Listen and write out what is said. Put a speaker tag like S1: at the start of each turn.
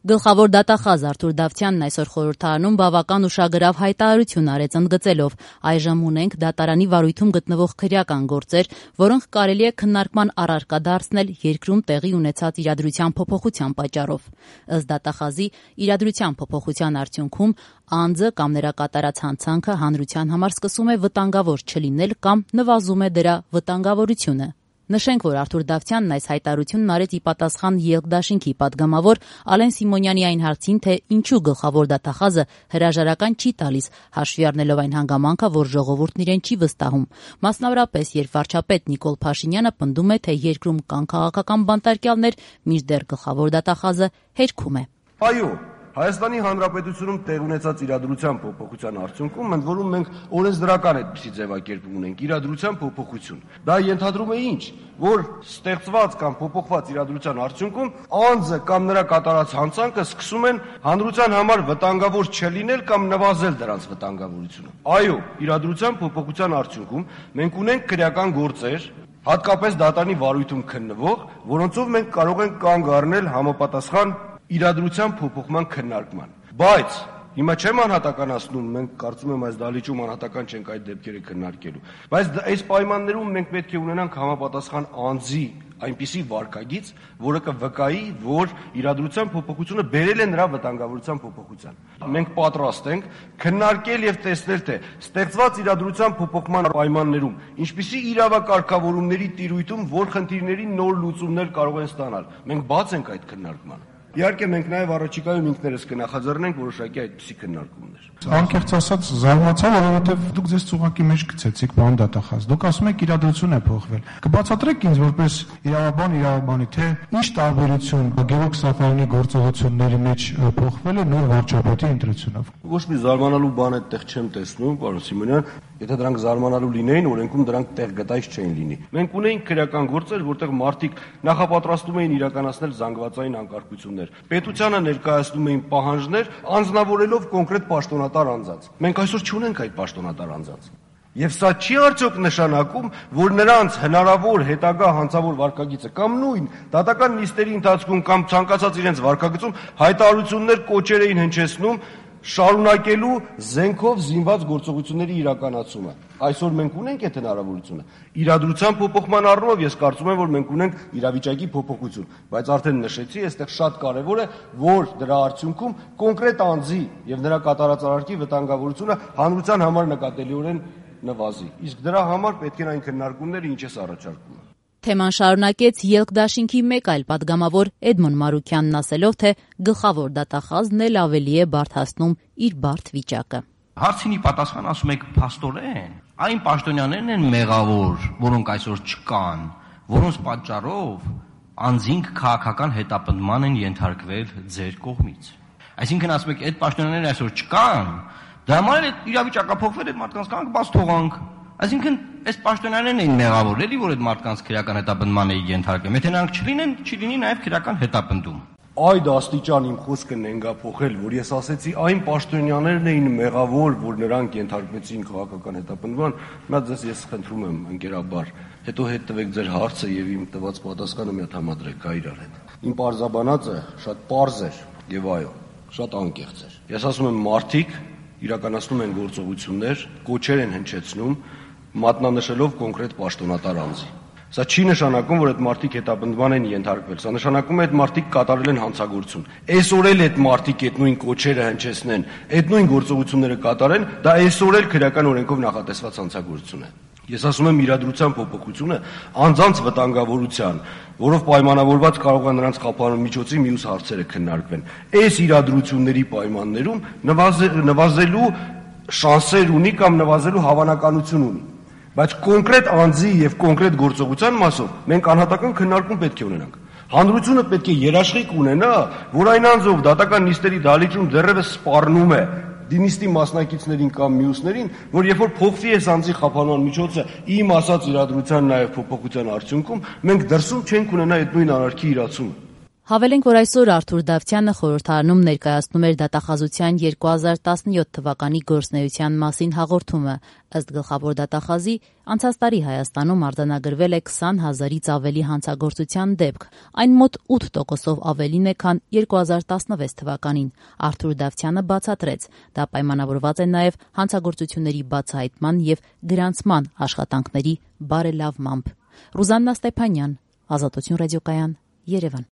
S1: Գլխավոր դատախազ Արթուր Դավթյանն այսօր խորհրդարանում բավական ուշագրավ հայտարարություն արեց ընդգծելով. այժմ ունենք դատարանի վարույթում գտնվող քրեական գործեր, որոնք կարելի է քննարկման առարկա դարձնել երկրում տեղի ունեցած իրադրության փոփոխության պատճառով։ Ըստ դատախազի, իրադրության փոփոխության արդյունքում անձը կամ նրա կատարած հանցանքը հանրության համար սկսում է վտանգավոր չլինել կամ նվազում է դրա վտանգավորությունը։ Նշենք, որ Արթուր Դավթյանն այս հայտարարությունն արեց ի պատասխան ելք դաշինքի պատգամավոր Ալեն Սիմոնյանի այն հարցին, թե ինչու գլխավոր դատախազը հրաժարական չի տալիս, հաշվի առնելով այն հանգամանքը, որ ժողովուրդն իրեն չի վստահում։ Մասնավորապես, երբ վարչապետ Նիկոլ Փաշինյանը պնդում է, թե երկրում կան քաղաքական բանտարկյալներ, մինչդեռ գլխավոր դատախազը հերքում է։
S2: Այո, Հայաստանի Հանրապետությունում տեղ ունեցած իրադրության փոփոխության արդյունքում ընդ որում մենք օրենսդրական այդպիսի ձևակերպում ունենք իրադրության փոփոխություն։ Դա ենթադրում է ինչ, որ ստեղծված կամ փոփոխված իրադրության արդյունքում անձը կամ նրա կատարած հանցանքը սկսում են հանրության համար վտանգավոր չլինել կամ նվազել դրանց վտանգավորությունը։ Այո, իրադրության փոփոխության արդյունքում մենք ունենք քրեական գործեր, հատկապես դատարանի վարույթում քննվող, որոնցով մենք կարող ենք կանգ առնել համապատասխան իրադրության փոփոխման քննարկման։ Բայց հիմա չեմ անհատականացնում, մենք կարծում եմ այս դահլիճում անհատական չենք այդ դեպքերը քննարկելու, բայց այս պայմաններում մենք պետք է ունենանք համապատասխան անձի այնպիսի վարքագիծ, որը կվկայի, որ իրադրության փոփոխությունը բերել է նրա վտանգավորության փոփոխության։ Մենք պատրաստ ենք քննարկել եւ տեսնել, թե ստեղծված իրադրության փոփոխման պայմաններում ինչպիսի իրավակարգավորումների տիրույթում որ խնդիրների նոր լուծումներ կարող են ստանալ։ Մենք բաց ենք այդ քննարկմանը։ Իհարկե մենք նաև առաջիկայում ինքներս կնախաձեռնենք որոշակի այդպիսի քննարկումներ։
S3: Անկեղծ ասած զարմացա, որովհետև դուք ձեզ ծուղակի մեջ գցեցիք, պարոն դատախազ։ Դուք ասում եք իրադրություն է փոխվել։ Կբացատրեք ինձ որպես իրավաբանի, թե ինչ տարբերություն Գևորգ Սաֆարյանի գործողությունների մեջ փոխվել է նոր վարչապետի ընտրությունով։
S2: Ոչ մի զարմանալու բան այդտեղ չեմ տեսնում, պարոն Սիմոնյան, եթե դրանք զարմանալու լինեին, օրենքում դրանք տեղ գտայից չէին լինի։ Մենք ունեինք քրեական գործեր, որտեղ մարդիկ նախապատրաստում էին իրականացնել զանգվածային անկարգություններ։ Պետությանը ներկայացնում էին պահանջներ, անձնավորելով կոնկրետ պաշտոնատար անձանց։ Մենք այսօր չունենք այդ պաշտոնատար անձանց։ Եվ սա չի արդյոք նշանակում, որ նրանց հնարավոր հետագա հանցավոր վարքագիծը կամ նույն դատական նիստերի ընթացքում կամ ցանկացած իրենց վարքագծում հայտարարություններ, կոչեր էին հնչեցնում շարունակելու զենքով զինված գործողությունների իրականացումը։ Այսօր մենք ունենք այդ հնարավորությունը։ Իրադրության փոփոխման առումով ես կարծում եմ, որ մենք ունենք իրավիճակի փոփոխություն, բայց արդեն նշեցի, այստեղ շատ կարևոր է, որ դրա արդյունքում կոնկրետ անձի եւ նրա կատարած արարքի վտանգավորությունը հանրության համար նկատելիորեն նվազի։ Իսկ դրա համար պետք են այն քննարկումները, ինչ ես առաջարկում։
S1: Թեման շարունակեց ելք դաշինքի մեկ այլ պատգամավոր Էդմոն Մարուկյանն ասելով, թե գլխավոր դատախազն էլ ավելի է բարդացնում իր բարդ վիճակը։
S4: Հարցինի պատասխան ասում եք փաստորեն, այն պաշտոնյաներն են մեղավոր, որոնք այսօր չկան, որոնց պատճառով անձինք քաղաքական հետապնդման են ենթարկվել ձեր կողմից։ Այսինքն ասում եք, այդ պաշտոնյաներն այսօր չկան, դրա համար էլ իրավիճակը փոխվել է, մարդկանց կանք բաց թողանք։ Այսինքն այս պաշտոնյաներն էին մեղավոր, էլի որ այդ մարդկանց քրեական հետապնդման էին ենթարկվում։ Եթե նրանք չլինեն, չի նաև քրեական հետապնդում։
S2: Այդ աստիճան իմ խոսքը նենգափոխել, որ ես ասեցի այն պաշտոնյաներն էին մեղավոր, որ նրանք ենթարկվեցին քաղաքական հետապնդման, հիմա ձեզ ես խնդրում եմ ընկերաբար, հետո հետ տվեք ձեր հարցը եւ իմ տված պատասխանը մի հատ համադրեք իրար հետ։ Իմ պարզաբանածը շատ պարզ էր եւ այո, շատ անկեղծ էր։ Ես ասում եմ մարդիկ իրականացնում են գործողություններ, կոչեր են հնչեցնում, մատնանշելով կոնկրետ պաշտոնատար անձի։ Սա չի նշանակում, որ այդ մարդիկ հետապնդման են ենթարկվել, սա նշանակում է այդ մարդիկ կատարել են հանցագործություն։ Այսօր էլ այդ մարդիկ այդ նույն կոչերը հնչեցնեն, այդ նույն գործողությունները կատարեն, դա այսօր էլ քրեական օրենքով նախատեսված հանցագործություն է։ Ես ասում եմ իրադրության փոփոխությունը անձանց վտանգավորության, որով պայմանավորված կարող է նրանց խափանման միջոցի մյուս հարցերը քննարկվեն։ Այս իրադրությունների պայմաններում նվազելու շանսեր ունի կամ նվազելու հավանականություն ունի։ Բայց կոնկրետ անձի եւ կոնկրետ գործողության մասով մենք անհատական քննարկում պետք է ունենանք։ Հանրությունը պետք է երաշխիք ունենա, որ այն անձով դատական նիստերի դահլիճում դեռևս սպառնում է դինիստի մասնակիցներին կամ մյուսներին, որ երբ որ փոխվի այս անձի խափանման միջոցը, իմ ասած իրադրության նաեւ փոփոխության արդյունքում մենք դրսում չենք ունենա այդ նույն արարքի իրացումը։
S1: Հավելենք, որ այսօր Արթուր Դավթյանը խորհրդարանում ներկայացնում էր դատախազության 2017 թվականի գործունեության մասին հաղորդումը։ Ըստ գլխավոր դատախազի, անցած տարի Հայաստանում արձանագրվել է 20,000-ից ավելի հանցագործության դեպք, այն մոտ 8%-ով ավելին է, քան 2016 թվականին։ Արթուր Դավթյանը բացատրեց, դա պայմանավորված է նաև հանցագործությունների բացահայտման և գրանցման աշխատանքների բարելավմամբ։ Ռուզաննա Ստեփանյան, Ազատություն ռադիոկայան, Երևան։